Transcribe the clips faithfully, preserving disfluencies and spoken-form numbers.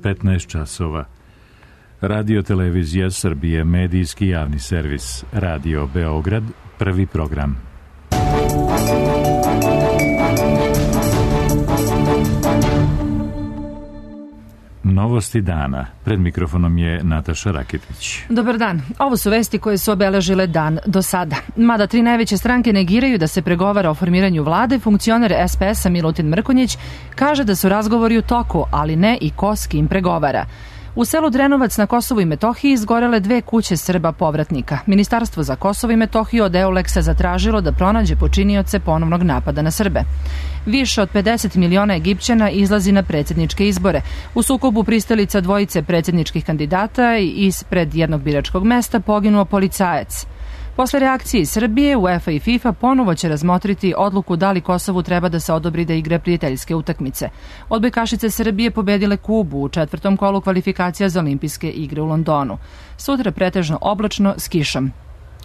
petnaest časova. Radio Televizija Srbije, medijski javni servis, Radio Beograd, prvi program. Novosti dana. Pred mikrofonom je Nataša Raketić. Dobar dan. Ovo su vesti koje su obeležile dan do sada. Mada tri najveće stranke negiraju da se pregovara o formiranju vlade, funkcioner es pe es-a Milutin Mrkonjić kaže da su razgovori u toku, ali ne i ko s kim pregovara. U selu Drenovac na Kosovu i Metohiji izgorele dve kuće Srba povratnika. Ministarstvo za Kosovo i Metohiju od Euleksa zatražilo da pronađe počinioce ponovnog napada na Srbe. Više od pedeset miliona Egipćana izlazi na predsjedničke izbore. U sukobu pristalica dvojice predsjedničkih kandidata i ispred jednog biračkog mesta poginuo policajac. Posle reakcije iz Srbije, UEFA i FIFA ponovo će razmotriti odluku da li Kosovu treba da se odobri da igra prijateljske utakmice. Odbojkašice Srbije pobedile Kubu u četvrtom kolu kvalifikacija za olimpijske igre u Londonu. Sutra pretežno oblačno s kišom.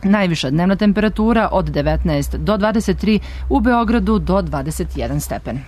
Najviša dnevna temperatura od devetnaest do dvadeset tri, u Beogradu do dvadeset jedan stepen.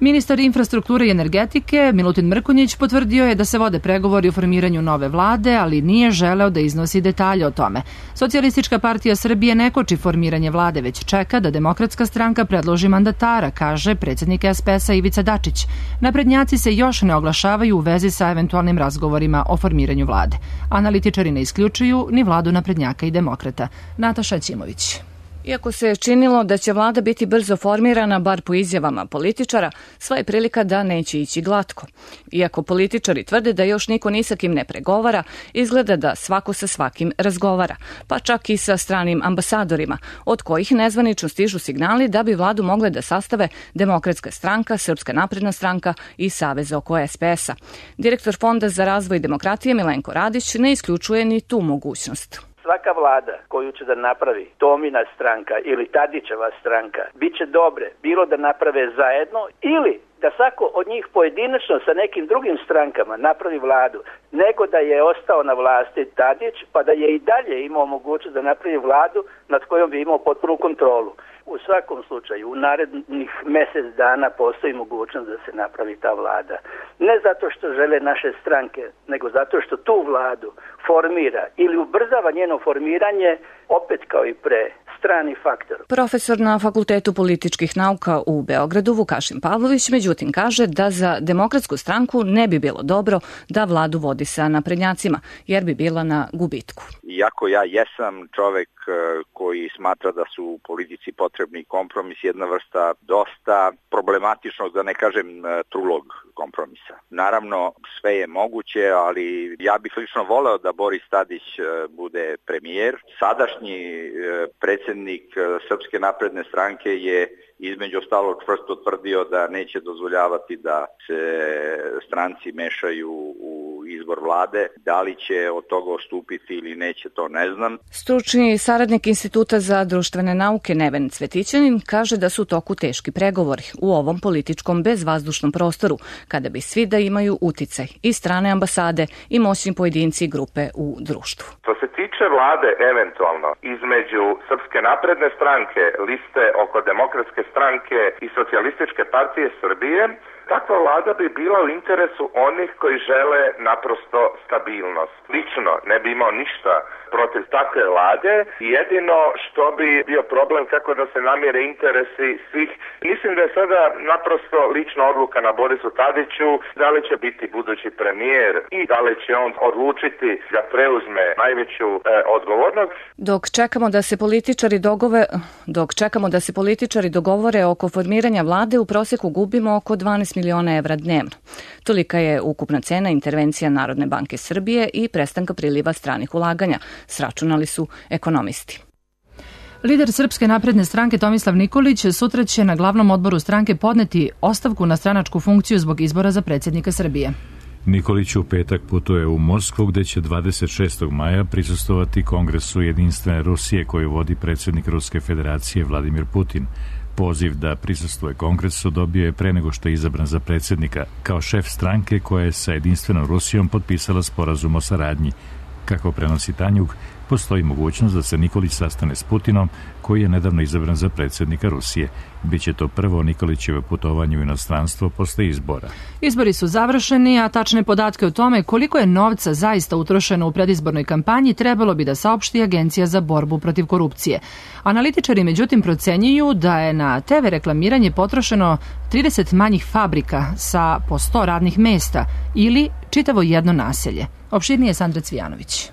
Ministar infrastrukture i energetike Milutin Mrkonjić potvrdio je da se vode pregovori o formiranju nove vlade, ali nije želeo da iznosi detalje o tome. Socijalistička partija Srbije ne koči formiranje vlade, već čeka da Demokratska stranka predloži mandatara, kaže predsjednik es pe es-a Ivica Dačić. Naprednjaci se još ne oglašavaju u vezi sa eventualnim razgovorima o formiranju vlade. Analitičari ne isključuju ni vladu naprednjaka i demokrata. Nataša Ćimović. Iako se je činilo da će vlada biti brzo formirana, bar po izjavama političara, sva je prilika da neće ići glatko. Iako političari tvrde da još niko ni sa kim ne pregovara, izgleda da svako sa svakim razgovara, pa čak i sa stranim ambasadorima, od kojih nezvanično stižu signali da bi vladu mogle da sastave Demokratska stranka, Srpska napredna stranka i Savez oko es pe es-a. Direktor Fonda za razvoj demokratije Milenko Radić ne isključuje ni tu mogućnost. Svaka vlada koju će da napravi Tomina stranka ili Tadićeva stranka bit će dobre, bilo da naprave zajedno ili da svako od njih pojedinačno sa nekim drugim strankama napravi vladu, nego da je ostao na vlasti Tadić pa da je i dalje imao mogućnost da napravi vladu nad kojom bi imao potpunu kontrolu. U svakom slučaju, u narednih mjesec dana postoji mogućnost da se napravi ta vlada. Ne zato što žele naše stranke, nego zato što tu vladu formira ili ubrzava njeno formiranje, opet kao i pre, strani faktor. Profesor na Fakultetu političkih nauka u Beogradu Vukašin Pavlović međutim kaže da za Demokratsku stranku ne bi bilo dobro da vladu vodi sa naprednjacima, jer bi bila na gubitku. Iako ja jesam čovek koji smatra da su u politici potrebni kompromis, jedna vrsta dosta problematičnog, da ne kažem trulog kompromisa. Naravno, sve je moguće, ali ja bih lično voleo da Boris Tadić bude premijer. Sadašnji predsjednik Srpske napredne stranke je između ostalog čvrsto tvrdio da neće dozvoljavati da se stranci mešaju u izbor vlade. Da li će od toga odstupiti ili neće, to ne znam. Stručni saradnik Instituta za društvene nauke Neven Cvetićanin kaže da su u toku teški pregovori u ovom političkom bezvazdušnom prostoru, kada bi svi da imaju uticaj i strane ambasade i moćni pojedinci i grupe u društvu. Što se tiče vlade eventualno između Srpske napredne stranke, liste oko Demokratske stranke i Socijalističke partije Srbije, takva vlada bi bila u interesu onih koji žele naprosto stabilnost. Lično ne bi imao ništa protiv takve vlade i jedino što bi bio problem kako da se namire interesi svih. Mislim da je sada naprosto lična odluka na Borisu Tadiću da li će biti budući premijer i da li će on odlučiti da preuzme najveću e, odgovornost. Dok čekamo da se političari dogove, dok čekamo da se političari dogovore oko formiranja vlade, u prosjeku gubimo oko dvanaest miliona evra dnevno. Tolika je ukupna cena intervencija Narodne banke Srbije i prestanka priliva stranih ulaganja, sračunali su ekonomisti. Lider Srpske napredne stranke Tomislav Nikolić sutra će na glavnom odboru stranke podneti ostavku na stranačku funkciju zbog izbora za predsjednika Srbije. Nikolić u petak putuje u Moskvu, gde će dvadeset šestog maja prisustvovati Kongresu Jedinstvene Rusije koju vodi predsjednik Ruske federacije Vladimir Putin. Poziv da prisustvuje Kongresu dobio je pre nego što je izabran za predsjednika, kao šef stranke koja je sa Jedinstvenom Rusijom potpisala sporazum o saradnji. Kako prenosi Tanjug, postoji mogućnost da se Nikolić sastane s Putinom, koji je nedavno izabran za predsjednika Rusije. Biće to prvo Nikolićevo putovanje u inostranstvo posle izbora. Izbori su završeni, a tačne podatke o tome koliko je novca zaista utrošeno u predizbornoj kampanji trebalo bi da saopšti Agencija za borbu protiv korupcije. Analitičari međutim procenjuju da je na te ve reklamiranje potrošeno trideset manjih fabrika sa po sto radnih mesta ili čitavo jedno naselje. Opširnije Sandra Cvijanović.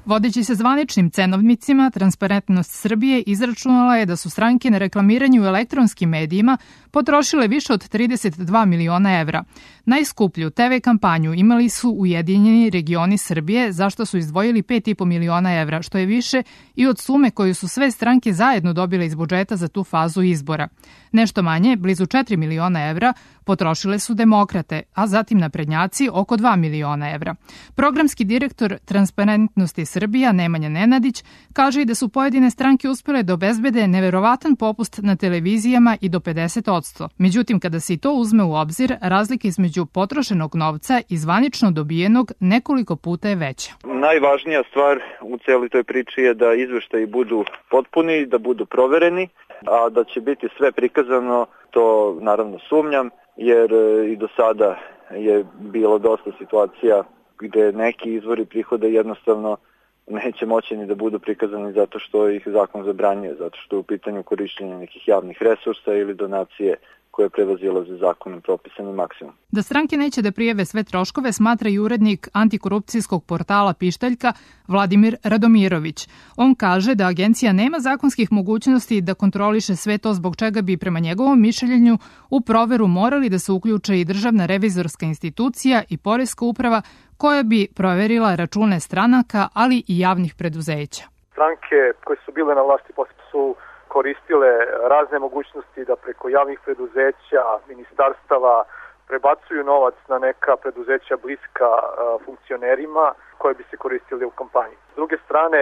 Vodeći se zvaničnim cenovnicima, Transparentnost Srbije izračunala je da su stranke na reklamiranju u elektronskim medijima potrošile više od trideset dva miliona evra. Najskuplju te ve kampanju imali su Ujedinjeni regioni Srbije, za što su izdvojili pet i po miliona evra, što je više i od sume koju su sve stranke zajedno dobile iz budžeta za tu fazu izbora. Nešto manje, blizu četiri miliona evra, potrošile su demokrate, a zatim naprednjaci oko dva miliona evra. Programski direktor Transparentnosti Srbija, Nemanja Nenadić, kaže i da su pojedine stranke uspele da obezbede neverovatan popust na televizijama i do pedeset odsto. Međutim, kada se i to uzme u obzir, razlika između potrošenog novca i zvanično dobijenog nekoliko puta je veća. Najvažnija stvar u celoj toj priči je da izveštaji budu potpuni, da budu provereni, a da će biti sve prikazano, to naravno sumnjam, jer i do sada je bilo dosta situacija gde neki izvori prihoda jednostavno neće moći ni da budu prikazani zato što ih zakon zabranjuje, zato što je u pitanju korišćenja nekih javnih resursa ili donacije koje prevazilaze zakonom propisani maksimum. Da stranke neće da prijave sve troškove smatra i urednik antikorupcijskog portala Pištaljka Vladimir Radomirović. On kaže da agencija nema zakonskih mogućnosti da kontroliše sve to, zbog čega bi prema njegovom mišljenju u proveru morali da se uključe i državna revizorska institucija i poreska uprava koja bi proverila račune stranaka, ali i javnih preduzeća. Stranke koje su bile na vlasti posle su koristile razne mogućnosti da preko javnih preduzeća, ministarstava prebacuju novac na neka preduzeća bliska funkcionerima koje bi se koristili u kampanji. S druge strane,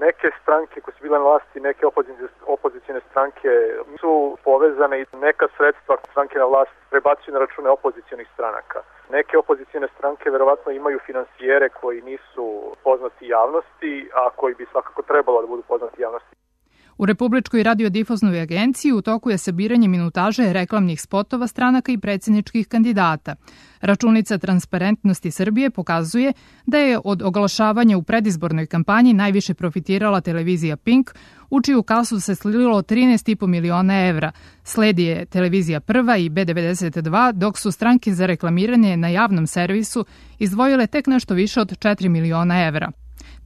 neke stranke koje su bile na vlasti, neke opozicijne stranke su povezane i neka sredstva stranke na vlast prebacuju na račune opozicionih stranaka. Neke opozicijne stranke verovatno imaju finansijere koji nisu poznati javnosti, a koji bi svakako trebalo da budu poznati javnosti. U Republičkoj radiodifuznoj agenciji u toku je sabiranje minutaže reklamnih spotova stranaka i predsjedničkih kandidata. Računica Transparentnosti Srbije pokazuje da je od oglašavanja u predizbornoj kampanji najviše profitirala televizija Pink, u čiju kasu se slilo trinaest i po miliona evra. Sledi je televizija Prva i be devedeset dva, dok su stranke za reklamiranje na javnom servisu izdvojile tek nešto više od četiri miliona evra.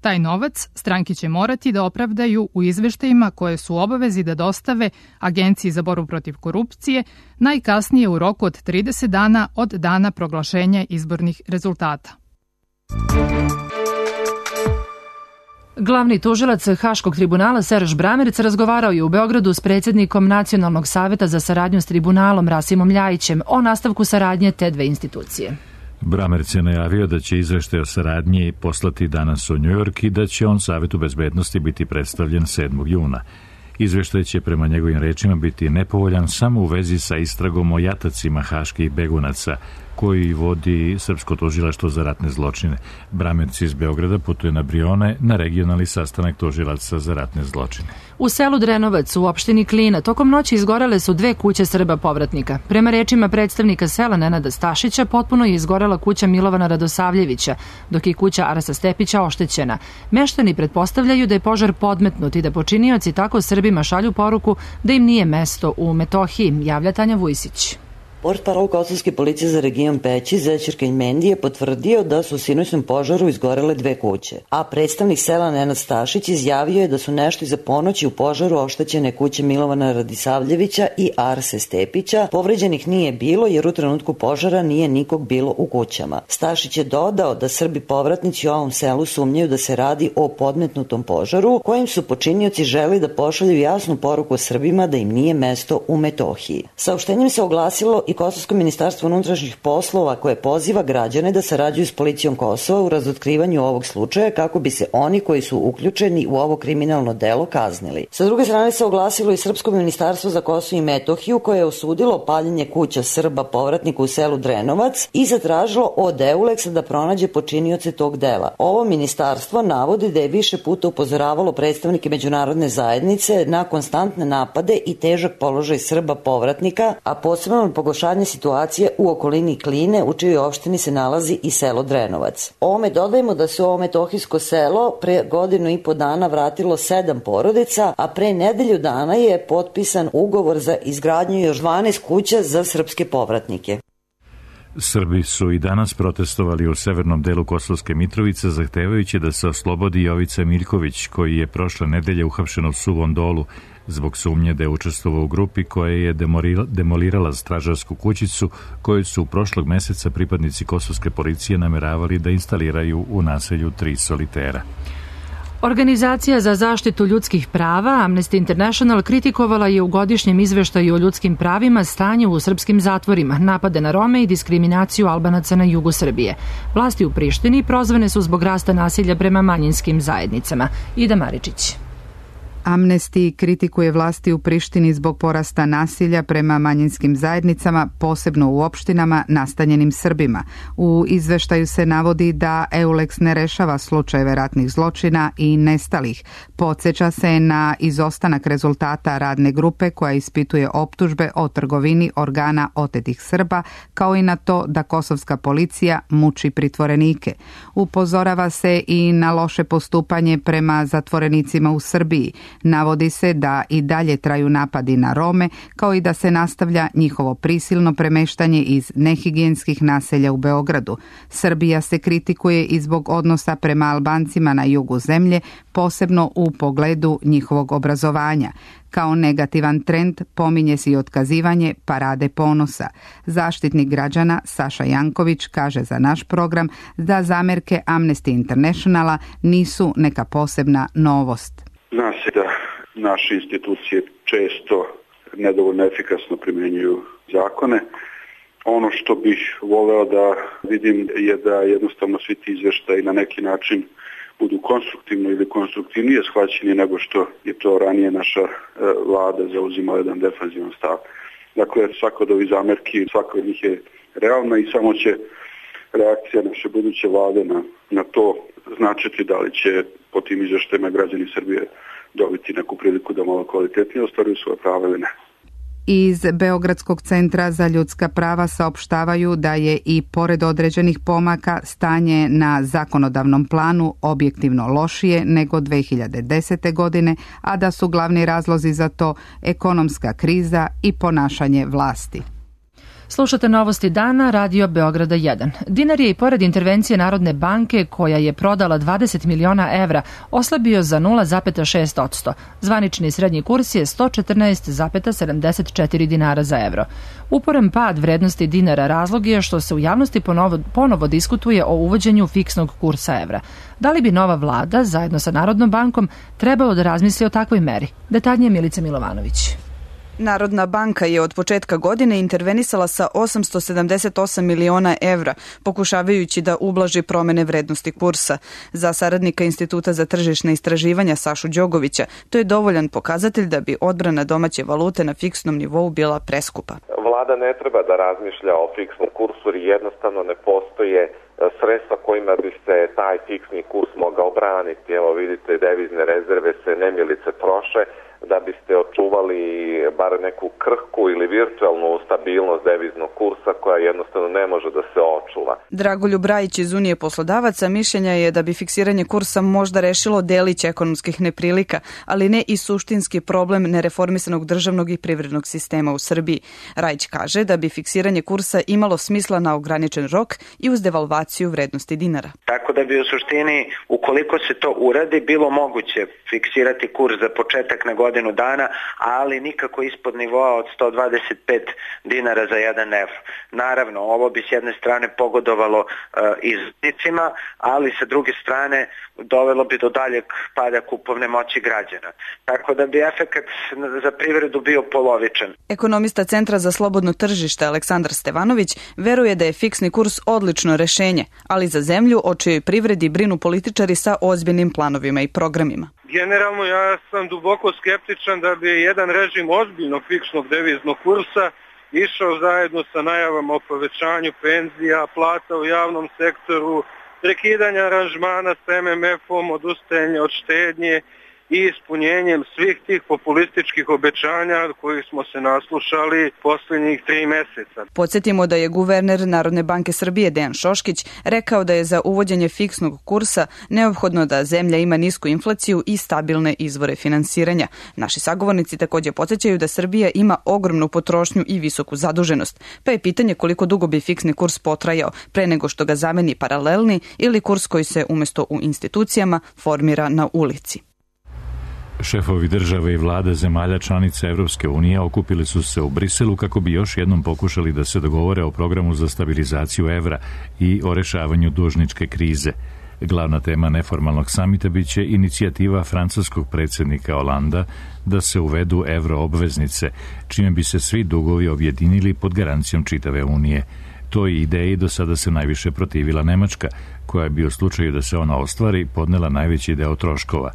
Taj novac stranke će morati da opravdaju u izveštajima koje su u obavezi da dostave Agenciji za borbu protiv korupcije najkasnije u roku od trideset dana od dana proglašenja izbornih rezultata. Glavni tužilac Haškog tribunala Serž Bramerc razgovarao je u Beogradu s predsjednikom Nacionalnog saveta za saradnju s tribunalom Rasimom Ljajićem o nastavku saradnje te dve institucije. Bramerc je najavio da će izveštaj o saradnji poslati danas u Njujork i da će on Savetu bezbednosti biti predstavljen sedmog juna. Izveštaj će prema njegovim rečima biti nepovoljan samo u vezi sa istragom o jatacima haških begunaca koji vodi Srpsko tužilaštvo za ratne zločine. Bramerc iz Beograda putuje na Brione na regionalni sastanak tužilaca za ratne zločine. U selu Drenovac u opštini Klina tokom noći izgorele su dve kuće Srba povratnika. Prema rečima predstavnika sela Nenada Stašića, potpuno je izgorela kuća Milovana Radosavljevića, dok je kuća Arasa Stepića oštećena. Meštani pretpostavljaju da je požar podmetnut i da počinioci tako Srbima šalju poruku da im nije mesto u Metohiji, javlja Tanja Vujsić. Portparol kosovske policije za region Peći, Zećir Kenjmendi, je potvrdio da su u sinoćnom požaru izgorele dve kuće, a predstavnik sela Nenad Stašić izjavio je da su nešto iza ponoći u požaru oštećene kuće Milovana Radisavljevića i Arse Stepića. Povređenih nije bilo jer u trenutku požara nije nikog bilo u kućama. Stašić je dodao da Srbi povratnici u ovom selu sumnjaju da se radi o podmetnutom požaru kojim su počinioci želi da pošalju jasnu poruku Srbima da im nije mesto u Metohiji. Saopštenjem se oglasilo i Kosovsko ministarstvo unutrašnjih poslova koje poziva građane da sarađuju s policijom Kosova u razotkrivanju ovog slučaja kako bi se oni koji su uključeni u ovo kriminalno delo kaznili. Sa druge strane se oglasilo i Srpsko ministarstvo za Kosovo i Metohiju koje je osudilo paljenje kuća Srba povratnika u selu Drenovac i zatražilo od Euleksa da pronađe počinioce tog dela. Ovo ministarstvo navodi da je više puta upozoravalo predstavnike međunarodne zajednice na konstantne napade i težak položaj Srba povratnika, a posebno pogoršanje situacije u okolini Kline, u čijoj opštini se nalazi i selo Drenovac. Ovome dodajemo da se ovo metohijsko selo pre godinu i po dana vratilo sedam porodica, a pre nedelju dana je potpisan ugovor za izgradnju još dvanaest kuća za srpske povratnike. Srbi su i danas protestovali u severnom delu Kosovske Mitrovice zahtevajući da se oslobodi Jovica Miljković, koji je prošle nedelje uhapšen u Suvom Dolu zbog sumnje da je učestvovao u grupi koja je demolirala stražarsku kućicu koju su prošlog meseca pripadnici kosovske policije nameravali da instaliraju u naselju Tri Solitera. Organizacija za zaštitu ljudskih prava Amnesty International kritikovala je u godišnjem izveštaju o ljudskim pravima stanje u srpskim zatvorima, napade na Rome i diskriminaciju Albanaca na jugu Srbije. Vlasti u Prištini prozvane su zbog rasta nasilja prema manjinskim zajednicama. Ida Maričić. Amnesty kritikuje vlasti u Prištini zbog porasta nasilja prema manjinskim zajednicama, posebno u opštinama nastanjenim Srbima. U izveštaju se navodi da Euleks ne rešava slučajeve ratnih zločina i nestalih. Podseća se na izostanak rezultata radne grupe koja ispituje optužbe o trgovini organa otetih Srba, kao i na to da kosovska policija muči pritvorenike. Upozorava se i na loše postupanje prema zatvorenicima u Srbiji. Navodi se da i dalje traju napadi na Rome, kao i da se nastavlja njihovo prisilno premeštanje iz nehigijenskih naselja u Beogradu. Srbija se kritikuje i zbog odnosa prema Albancima na jugu zemlje, posebno u pogledu njihovog obrazovanja. Kao negativan trend pominje se i otkazivanje Parade ponosa. Zaštitnik građana Saša Janković kaže za naš program da zamerke Amnesty Internationala nisu neka posebna novost. Zna se da naše institucije često nedovoljno efikasno primjenjuju zakone. Ono što bih voleo da vidim je da jednostavno svi ti izveštaji na neki način budu konstruktivno ili konstruktivnije shvaćeni nego što je to ranije naša vlada zauzimala jedan defanzivan stav. Dakle, svako od ovih zamerki, svako od njih je realna i samo će reakcija naše buduće vlade na, na to značiti da li će po tim izveštajima građani Srbije dobiti neku priliku da malo kvalitetnije ostvaruju svoje prava ili ne. Iz Beogradskog centra za ljudska prava saopštavaju da je i pored određenih pomaka stanje na zakonodavnom planu objektivno lošije nego dve hiljade desete. godine, a da su glavni razlozi za to ekonomska kriza i ponašanje vlasti. Slušate novosti dana, Radio Beograda jedan. Dinar je i pored intervencije Narodne banke, koja je prodala dvadeset miliona evra, oslabio za nula zarez šest posto. Zvanični srednji kurs je sto četrnaest zarez sedamdeset četiri dinara za evro. Uporan pad vrednosti dinara razlog je što se u javnosti ponovo, ponovo diskutuje o uvođenju fiksnog kursa evra. Da li bi nova vlada, zajedno sa Narodnom bankom, trebalo da razmisli o takvoj meri? Detaljnije Milica Milovanović. Narodna banka je od početka godine intervenisala sa osamsto sedamdeset osam miliona evra, pokušavajući da ublaži promene vrednosti kursa. Za saradnika Instituta za tržišne istraživanja Sašu Đogovića, to je dovoljan pokazatelj da bi odbrana domaće valute na fiksnom nivou bila preskupa. Vlada ne treba da razmišlja o fiksnom kursu jer jednostavno ne postoje sredstva kojima bi se taj fiksni kurs mogao braniti. Evo vidite, devizne rezerve se nemilice troše da biste očuvali bar neku krhku ili virtualnu stabilnost deviznog kursa koja jednostavno ne može da se očuva. Dragoljub Rajić iz Unije poslodavaca mišljenja je da bi fiksiranje kursa možda rešilo delić ekonomskih neprilika, ali ne i suštinski problem nereformisanog državnog i privrednog sistema u Srbiji. Rajić kaže da bi fiksiranje kursa imalo smisla na ograničen rok i uz devalvaciju vrednosti dinara. Tako da bi u suštini, ukoliko se to uradi, bilo moguće fiksirati kurs za početak na godinu godinu dana, ali nikako ispod nivoa od sto dvadeset pet dinara za jedan evro. Naravno, ovo bi s jedne strane pogodovalo uh, izvoznicima, ali sa druge strane dovelo bi do daljeg pada kupovne moći građana. Tako da bi efekat za privredu bio polovičan. Ekonomista Centra za slobodno tržište Aleksandar Stevanović veruje da je fiksni kurs odlično rešenje, ali za zemlju o čijoj privredi brinu političari sa ozbiljnim planovima i programima. Generalno ja sam duboko skeptičan da bi jedan režim ozbiljnog fiksnog deviznog kursa išao zajedno sa najavama o povećanju penzija, plata u javnom sektoru, prekidanja aranžmana s em em efom, odustajanje od štednje i ispunjenjem svih tih populističkih obećanja kojih smo se naslušali posljednjih tri meseca. Podsjetimo da je guverner Narodne banke Srbije Dejan Šoškić rekao da je za uvođenje fiksnog kursa neophodno da zemlja ima nisku inflaciju i stabilne izvore finansiranja. Naši sagovornici također podsjećaju da Srbija ima ogromnu potrošnju i visoku zaduženost, pa je pitanje koliko dugo bi fiksni kurs potrajao pre nego što ga zameni paralelni ili kurs koji se umjesto u institucijama formira na ulici. Šefovi države i vlade zemalja članica Evropske unije okupili su se u Briselu kako bi još jednom pokušali da se dogovore o programu za stabilizaciju evra i o rešavanju dužničke krize. Glavna tema neformalnog samita biće inicijativa francuskog predsjednika Holanda da se uvedu evro obveznice, čime bi se svi dugovi objedinili pod garancijom čitave unije. Toj ideji do sada se najviše protivila Nemačka, koja bi u slučaju da se ona ostvari podnela najveći deo troškova.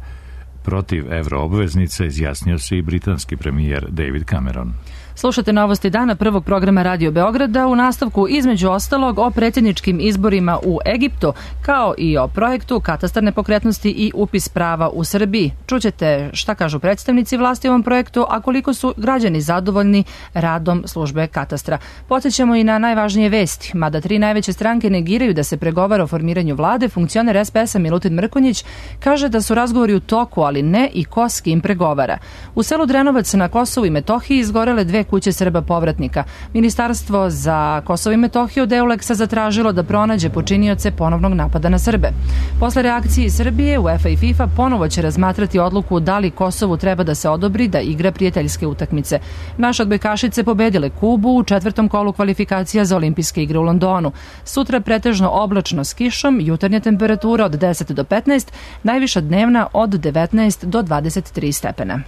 Protiv evroobveznica izjasnio se i britanski premijer David Cameron. Slušate novosti dana prvog programa Radio Beograda, u nastavku između ostalog o predsjedničkim izborima u Egiptu, kao i o projektu katastar nepokretnosti i upis prava u Srbiji. Čućete šta kažu predstavnici vlasti u ovom projektu, a koliko su građani zadovoljni radom službe katastra. Podsjećamo i na najvažnije vesti. Mada tri najveće stranke negiraju da se pregovara o formiranju vlade, funkcioner es pe es-a Milutin Mrkonjić kaže da su razgovori u toku, ali ne i ko s kim pregovara. U selu Drenovac na Kosovu i Metohiji izgorele dve kuće Srba povratnika. Ministarstvo za Kosovo i Metohiju od Euleksa zatražilo da pronađe počinioce ponovnog napada na Srbe. Posle reakcije Srbije, UEFA i FIFA ponovo će razmatrati odluku da li Kosovu treba da se odobri da igra prijateljske utakmice. Naše odbojkašice pobedile Kubu u četvrtom kolu kvalifikacija za olimpijske igre u Londonu. Sutra pretežno oblačno s kišom, jutarnja temperatura od deset do petnaest, najviša dnevna od devetnaest do dvadeset tri stepena.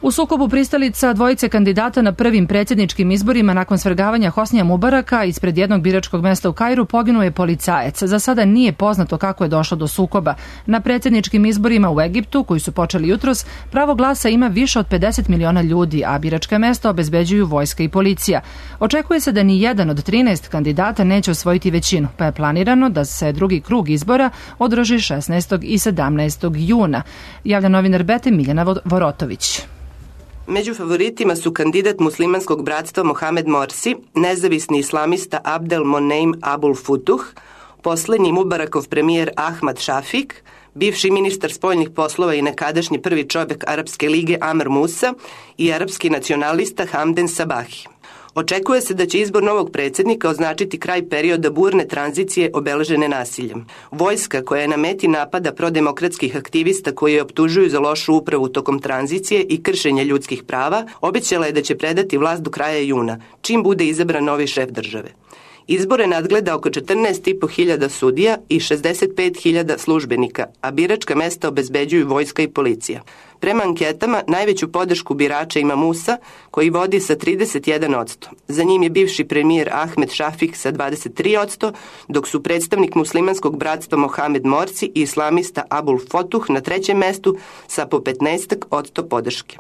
U sukobu pristalica dvojice kandidata na prvim predsjedničkim izborima nakon svrgavanja Hosnija Mubaraka ispred jednog biračkog mesta u Kairu poginuo je policajac. Za sada nije poznato kako je došlo do sukoba. Na predsjedničkim izborima u Egiptu, koji su počeli jutros, pravo glasa ima više od pedeset miliona ljudi, a biračka mesta obezbeđuju vojska i policija. Očekuje se da ni jedan od trinaest kandidata neće osvojiti većinu, pa je planirano da se drugi krug izbora održi šesnaestog i sedamnaestog juna. Javlja novinar Bete Miljana Vorotović. Među favoritima su kandidat muslimanskog bratstva Mohamed Morsi, nezavisni islamista Abdel Moneim Abul Futuh, poslednji Mubarakov premijer Ahmad Šafik, bivši ministar spoljnih poslova i nekadašnji prvi čovjek Arapske lige Amr Musa i arapski nacionalista Hamden Sabahi. Očekuje se da će izbor novog predsjednika označiti kraj perioda burne tranzicije obeležene nasiljem. Vojska koja je na meti napada prodemokratskih aktivista koji je optužuju za lošu upravu tokom tranzicije i kršenje ljudskih prava, obećala je da će predati vlast do kraja juna, čim bude izabran novi šef države. Izbore nadgleda oko četrnaest i po hiljada sudija i šezdeset pet hiljada službenika, a biračka mesta obezbeđuju vojska i policija. Prema anketama, najveću podršku birača ima Musa, koji vodi sa trideset jedan posto. Za njim je bivši premijer Ahmed Šafik sa dvadeset tri posto, dok su predstavnik muslimanskog bratstva Mohamed Morsi i islamista Abul Futuh na trećem mestu sa po petnaest posto podrške.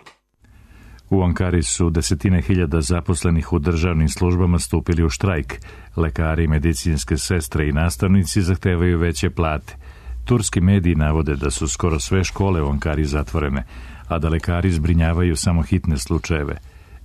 U Ankari su desetine hiljada zaposlenih u državnim službama stupili u štrajk. Lekari, medicinske sestre i nastavnici zahtevaju veće plate. Turski mediji navode da su skoro sve škole u Ankari zatvorene, a da lekari zbrinjavaju samo hitne slučajeve.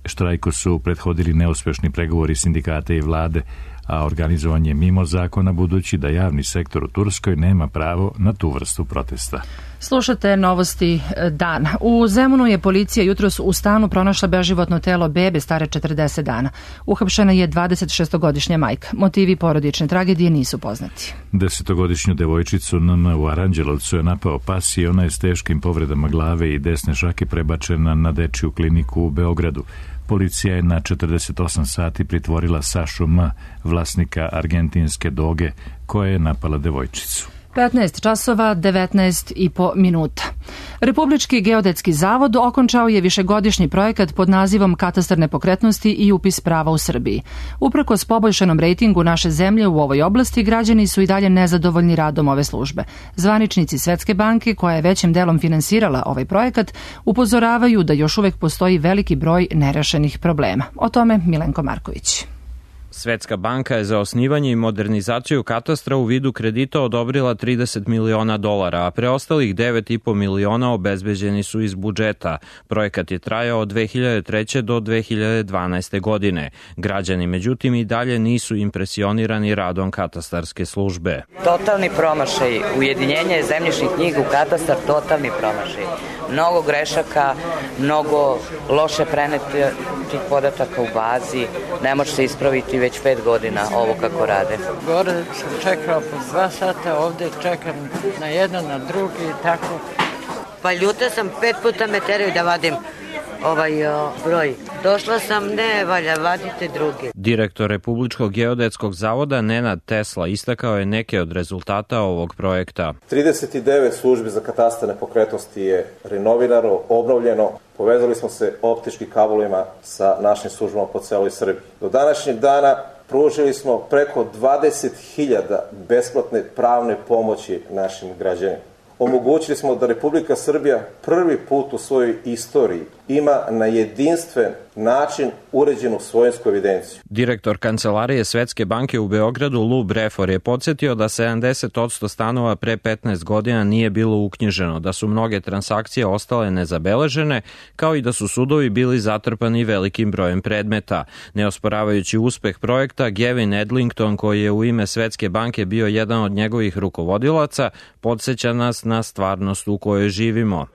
Štrajku su prethodili neuspešni pregovori sindikata i vlade, a organizovan je mimo zakona budući da javni sektor u Turskoj nema pravo na tu vrstu protesta. Slušate novosti dan. U Zemunu je policija jutros u stanu pronašla beživotno telo bebe stare četrdeset dana. Uhapšena je dvadesetšestogodišnja majka. Motivi porodične tragedije nisu poznati. Desetogodišnju devojčicu N M u Aranđelovcu je napao pas i ona je s teškim povredama glave i desne šake prebačena na dečiju kliniku u Beogradu. Policija je na četrdeset osam sati pritvorila Sašu M, vlasnika argentinske doge, koja je napala devojčicu. petnaest časova, devetnaest i po minuta. Republički geodetski zavod okončao je višegodišnji projekat pod nazivom Katastar nepokretnosti i upis prava u Srbiji. Uprkos poboljšanom rejtingu naše zemlje u ovoj oblasti, građani su i dalje nezadovoljni radom ove službe. Zvaničnici Svetske banke, koja je većim delom finansirala ovaj projekat, upozoravaju da još uvek postoji veliki broj nerešenih problema. O tome Milenko Marković. Svetska banka je za osnivanje i modernizaciju katastra u vidu kredita odobrila trideset miliona dolara, a preostalih devet i po miliona obezbeđeni su iz budžeta. Projekat je trajao od dve hiljade treće do dve hiljade dvanaeste. godine. Građani, međutim, i dalje nisu impresionirani radom katastarske službe. Totalni promašaj. Ujedinjenje zemljišnih knjiga u katastar, totalni promašaj. Mnogo grešaka, mnogo loše prenetih podataka u bazi, ne može se ispraviti već pet godina ovo kako rade. Gore sam čekala po dva sata, ovde čekam na jedan, na drugi i tako. Pa ljuta sam, pet puta me teraju da vadim ovaj o, broj. Došla sam, ne valja, vadite drugi. Direktor Republičkog geodetskog zavoda Nenad Tesla istakao je neke od rezultata ovog projekta. trideset devet službi za katastar nepokretnosti je renovirano, obnovljeno. Povezali smo se optičkim kablovima sa našim službama po celoj Srbiji. Do današnjeg dana pružili smo preko dvadeset hiljada besplatne pravne pomoći našim građanima. Omogućili smo da Republika Srbija prvi put u svojoj istoriji ima na jedinstven način uređenu svojinsku evidenciju. Direktor Kancelarije Svetske banke u Beogradu Lou Brefor je podsjetio da sedamdeset posto stanova pre petnaest godina nije bilo uknjiženo, da su mnoge transakcije ostale nezabeležene, kao i da su sudovi bili zatrpani velikim brojem predmeta. Neosporavajući uspeh projekta, Gavin Edlington, koji je u ime Svetske banke bio jedan od njegovih rukovodilaca, podsjeća nas na stvarnost u kojoj živimo.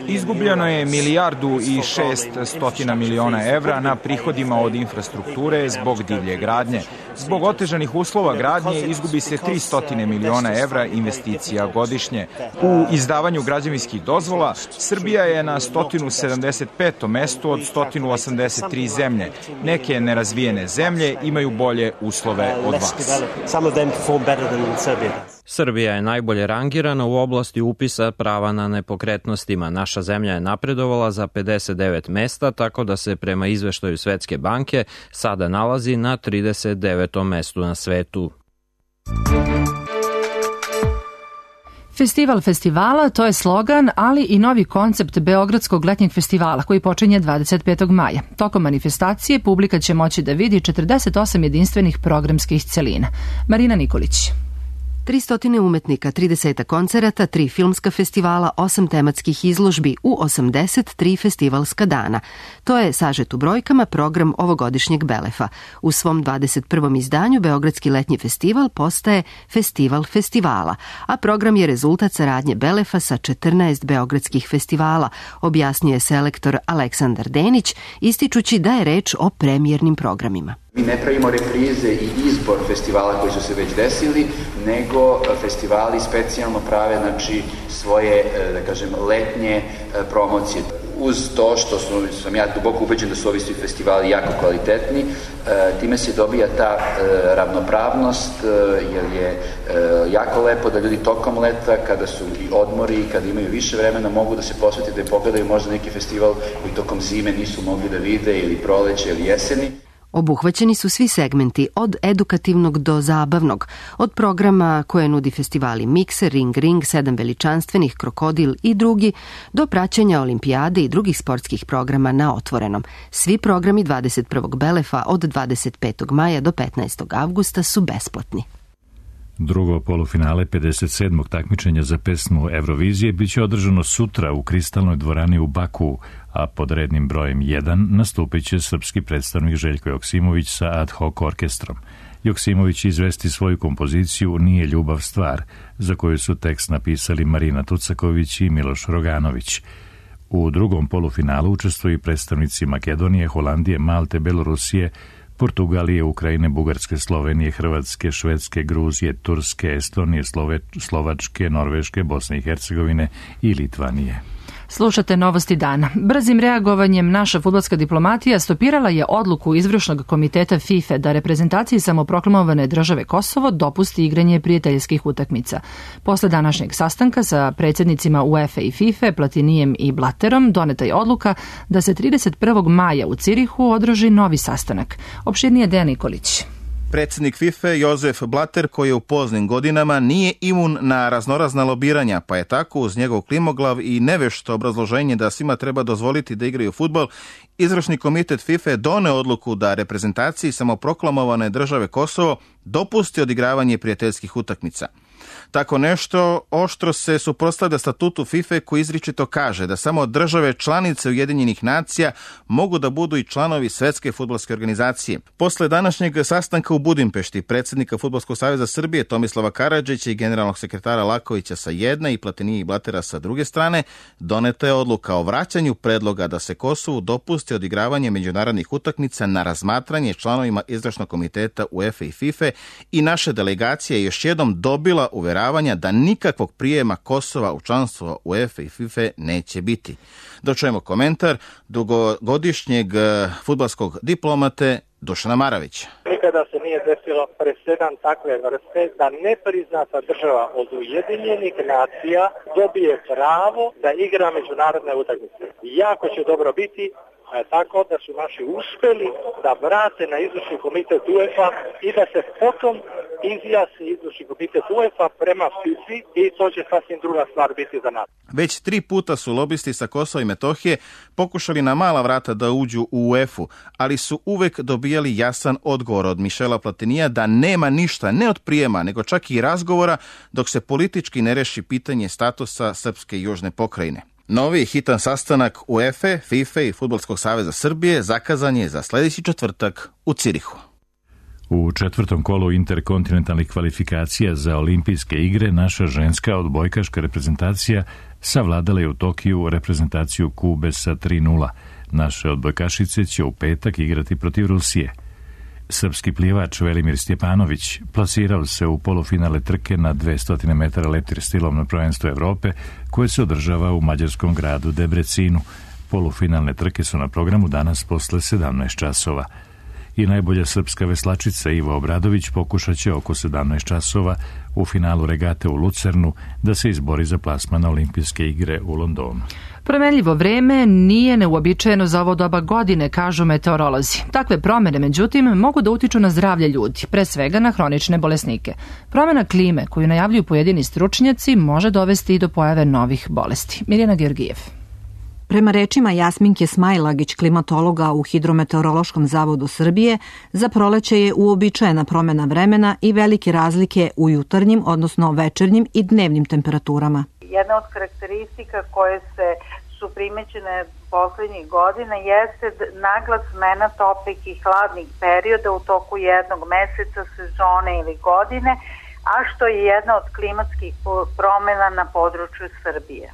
Izgubljeno je milijardu i šest stotina miliona evra na prihodima od infrastrukture zbog divlje gradnje. Zbog otežanih uslova gradnje izgubi se tristo miliona evra investicija godišnje. U izdavanju građevinskih dozvola Srbija je na sto sedamdeset petom mestu od sto osamdeset tri zemlje. Neke nerazvijene zemlje imaju bolje uslove od vas. Srbija je najbolje rangirana u oblasti upisa prava na nepokretnostima. Naša zemlja je napredovala za pedeset devet mesta, tako da se prema izveštaju Svetske banke sada nalazi na trideset devetom mestu na svetu. Festival festivala, to je slogan, ali i novi koncept Beogradskog letnjeg festivala koji počinje dvadeset petog maja. Tokom manifestacije publika će moći da vidi četrdeset osam jedinstvenih programskih celina. Marina Nikolić. tristo umetnika, trideset koncerata, tri filmska festivala, osam tematskih izložbi u osamdeset tri festivalska dana. To je sažet u brojkama program ovogodišnjeg Belefa. U svom dvadeset prvom izdanju Beogradski letnji festival postaje Festival festivala, a program je rezultat saradnje Belefa sa četrnaest beogradskih festivala, objasnio selektor Aleksandar Denić, ističući da je reč o premijernim programima. Mi ne pravimo reprize i izbor festivala koji su se već desili, nego festivali specijalno prave, znači, svoje, da kažem, letnje promocije. Uz to što sam ja duboko ubeđen da su ovi svi festivali jako kvalitetni, time se dobija ta ravnopravnost, jer je jako lepo da ljudi tokom leta, kada su i odmori, kada imaju više vremena, mogu da se posvete da pogledaju možda neki festival koji tokom zime nisu mogli da vide, ili proleće ili jeseni. Obuhvaćeni su svi segmenti, od edukativnog do zabavnog, od programa koje nudi festivali Mikser, Ring Ring, Sedam veličanstvenih, Krokodil i drugi, do praćenja olimpijade i drugih sportskih programa na otvorenom. Svi programi dvadeset prvog Belefa od dvadeset petog maja do petnaestog avgusta su besplatni. Drugo polufinale pedeset sedmog takmičenja za pesmu Eurovizije biće održano sutra u Kristalnoj dvorani u Baku, a pod rednim brojem jedan nastupit će srpski predstavnik Željko Joksimović sa ad hoc orkestrom. Joksimović izvesti svoju kompoziciju Nije ljubav stvar, za koju su tekst napisali Marina Tucaković i Miloš Roganović. U drugom polufinalu učestvuju predstavnici Makedonije, Holandije, Malte, Belorusije, Portugalije, Ukrajine, Bugarske, Slovenije, Hrvatske, Švedske, Gruzije, Turske, Estonije, Slove, Slovačke, Norveške, Bosne i Hercegovine i Litvanije. Slušate novosti dana. Brzim reagovanjem naša fudbalska diplomatija stopirala je odluku izvršnog komiteta FIFA da reprezentaciji samoproklamovane države Kosovo dopusti igranje prijateljskih utakmica. Posle današnjeg sastanka sa predsjednicima UEFA i FIFA, Platinijem i Blatterom, doneta je odluka da se trideset prvog maja u Cirihu održi novi sastanak. Opširnije Dejan Nikolić. Predsjednik FIFA Jozef Blatter, koji je u poznim godinama, nije imun na raznorazna lobiranja, pa je tako uz njegov klimoglav i nevešto obrazloženje da svima treba dozvoliti da igraju fudbal, izvršni komitet FIFA doneo odluku da reprezentaciji samoproklamovane države Kosovo dopusti odigravanje prijateljskih utakmica. Tako nešto oštro se suprotstavlja statutu FIFA koji izričito kaže da samo države članice Ujedinjenih nacija mogu da budu i članovi Svetske fudbalske organizacije. Posle današnjeg sastanka u Budimpešti predsjednika Fudbalskog saveza Srbije Tomislava Karadžića i generalnog sekretara Lakovića sa jedne i Platinije i Blattera sa druge strane, doneta je odluka o vraćanju predloga da se Kosovu dopusti odigravanje međunarodnih utakmica na razmatranje članovima izvršnog komiteta UEFA i FIFA i naša delegacija je još jednom dobila uveravanje da nikakvog prijema Kosova u članstvo UEFA i FIFA neće biti. Dočujemo komentar dugogodišnjeg fudbalskog diplomate Dušana Maravića. Nikada se nije desilo presedan takve vrste da nepriznata država od Ujedinjenih nacija dobije pravo da igra međunarodne utakmice. Jako će dobro biti tako da su naši uspeli da vrate na izvršni komitet UEFA i da se potom izjasni izvršni komitet UEFA prema FIFA i to će sasvim druga stvar biti za nas. Već tri puta su lobisti sa Kosova i Metohije pokušali na mala vrata da uđu u UEFA, ali su uvek dobijali jasan odgovor od Mišela Platinija da nema ništa ne od prijema, nego čak i razgovora dok se politički ne reši pitanje statusa Srpske južne pokrajine. Novi hitan sastanak UEFA, FIFA i Fudbalskog saveza Srbije zakazan je za sljedeći četvrtak u Cirihu. U četvrtom kolu interkontinentalnih kvalifikacija za olimpijske igre naša ženska odbojkaška reprezentacija savladala je u Tokiju reprezentaciju Kube sa tri nula. Naše odbojkašice će u petak igrati protiv Rusije. Srpski plivač Velimir Stjepanović plasirao se u polufinale trke na dvesta metara leptir stilom na prvenstvu Evrope koje se održava u mađarskom gradu Debrecinu. Polufinalne trke su na programu danas posle sedamnaest časova. I najbolja srpska veslačica Iva Obradović pokušat će oko sedamnaest časova u finalu regate u Lucernu da se izbori za plasman na olimpijske igre u Londonu. Promenljivo vreme nije neuobičajeno za ovo doba godine, kažu meteorolozi. Takve promene, međutim, mogu da utiču na zdravlje ljudi, pre svega na hronične bolesnike. Promena klime, koju najavljuju pojedini stručnjaci, može dovesti i do pojave novih bolesti. Mirjana Georgijev. Prema rečima Jasminke Smajlagić, klimatologa u Hidrometeorološkom zavodu Srbije, za proleće je uobičajena promena vremena i velike razlike u jutarnjim, odnosno večernjim i dnevnim temperaturama. Jedna od karakteristika koje se su primećene poslednjih godina jeste nagla smena toplih i hladnih perioda u toku jednog meseca, sezone ili godine, a što je jedna od klimatskih promena na području Srbije.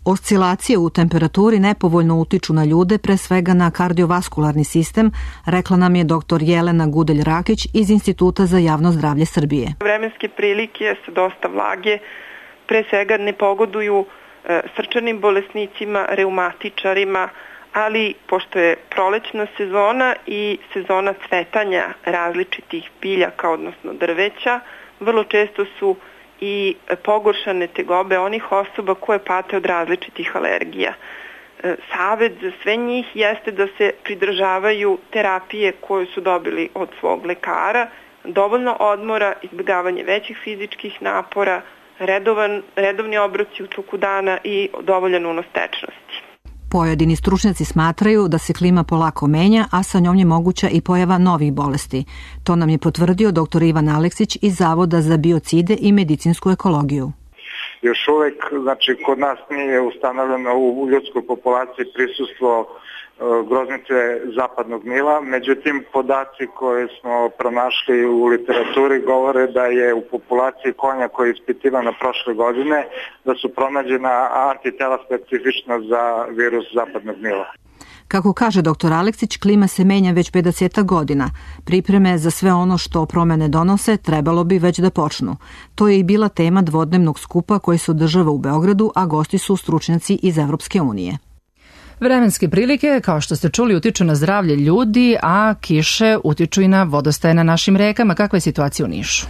Oscilacije u temperaturi nepovoljno utiču na ljude, pre svega na kardiovaskularni sistem, rekla nam je doktor Jelena Gudelj-Rakić iz Instituta za javno zdravlje Srbije. Vremenske prilike sa dosta vlage pre svega ne pogoduju e, srčanim bolesnicima, reumatičarima, ali pošto je prolećna sezona i sezona cvetanja različitih biljaka, odnosno drveća, vrlo često su i pogoršane tegobe onih osoba koje pate od različitih alergija. Savet za sve njih jeste da se pridržavaju terapije koje su dobili od svog lekara, dovoljno odmora, izbjegavanje većih fizičkih napora, redovan, redovni obroci u toku dana i dovoljan unos tečnosti. Pojedini stručnjaci smatraju da se klima polako menja, a sa njom je moguća i pojava novih bolesti. To nam je potvrdio doktor Ivan Aleksić iz Zavoda za biocide i medicinsku ekologiju. Još uvek, znači, kod nas nije ustanovljeno u ljudskoj populaciji prisustvo groznice zapadnog Nila, međutim podaci koje smo pronašli u literaturi govore da je u populaciji konja koja je ispitivana prošle godine, da su pronađena antitela specifična za virus zapadnog Nila. Kako kaže doktor Aleksić, klima se menja već pedeset godina. Pripreme za sve ono što promene donose trebalo bi već da počnu. To je i bila tema dvodnevnog skupa koji se održava u Beogradu, a gosti su stručnjaci iz Evropske unije. Vremenske prilike, kao što ste čuli, utiču na zdravlje ljudi, a kiše utiču i na vodostaje na našim rekama. Kakva je situacija u Nišu?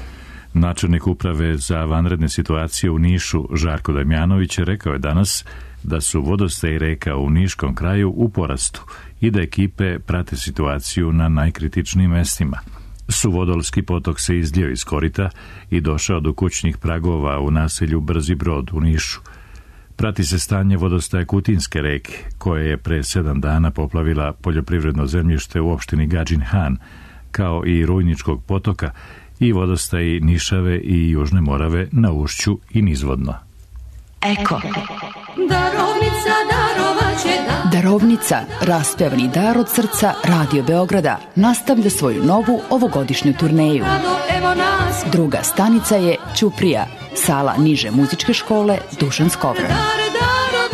Načelnik uprave za vanredne situacije u Nišu, Žarko Damjanović, rekao je danas da su vodostaji reka u Niškom kraju u porastu i da ekipe prate situaciju na najkritičnijim mestima. Suvodolski potok se izljeo iz korita i došao do kućnih pragova u naselju Brzi Brod u Nišu. Prati se stanje vodostaja Kutinske reke, koja je pre sedam dana poplavila poljoprivredno zemljište u opštini Gadžin Han, kao i Rujničkog potoka i vodostaji Nišave i Južne Morave na ušću i nizvodno. Eko. Darovnica, darovaće da. Darovnica, raspevani dar od srca Radio Beograda, nastavlja svoju novu ovogodišnju turneju. Druga stanica je Ćuprija, sala niže muzičke škole Dušan Skovran.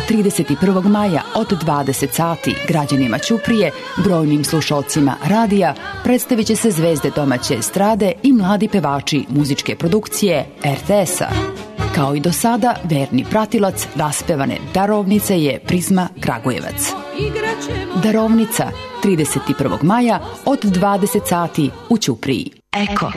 trideset prvog maja od dvadeset sati građanima Ćuprije, brojnim slušalcima radija, predstavit će se zvezde domaće estrade i mladi pevači muzičke produkcije R T S-a. Kao i do sada, verni pratilac raspevane Darovnice je Prizma Kragujevac. Darovnica, trideset prvog maja od dvadeset sati u Ćupriji. Eko.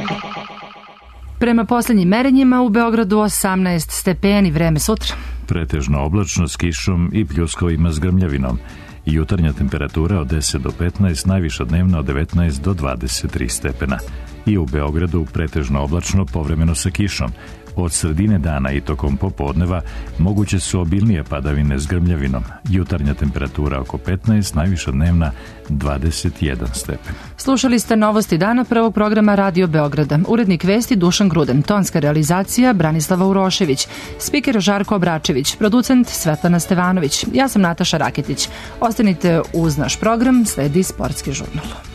Prema poslednjim merenjima u Beogradu osamnaest stepeni, vreme sutra. Pretežno oblačno s kišom i pljuskovima s grmljavinom. Jutarnja temperatura od deset do petnaest, najviša dnevna od devetnaest do dvadeset tri stepena. I u Beogradu pretežno oblačno, povremeno sa kišom. Od sredine dana i tokom popodneva moguće su obilnije padavine s grmljavinom. Jutarnja temperatura oko petnaest, najviša dnevna dvadeset jedan stepen. Slušali ste novosti dana prvog programa Radio Beograda. Urednik vesti Dušan Gruden, tonska realizacija Branislava Urošević, spiker Žarko Obračević, producent Svetlana Stevanović. Ja sam Nataša Raketić. Ostanite uz naš program, sledi Sportski žurnal.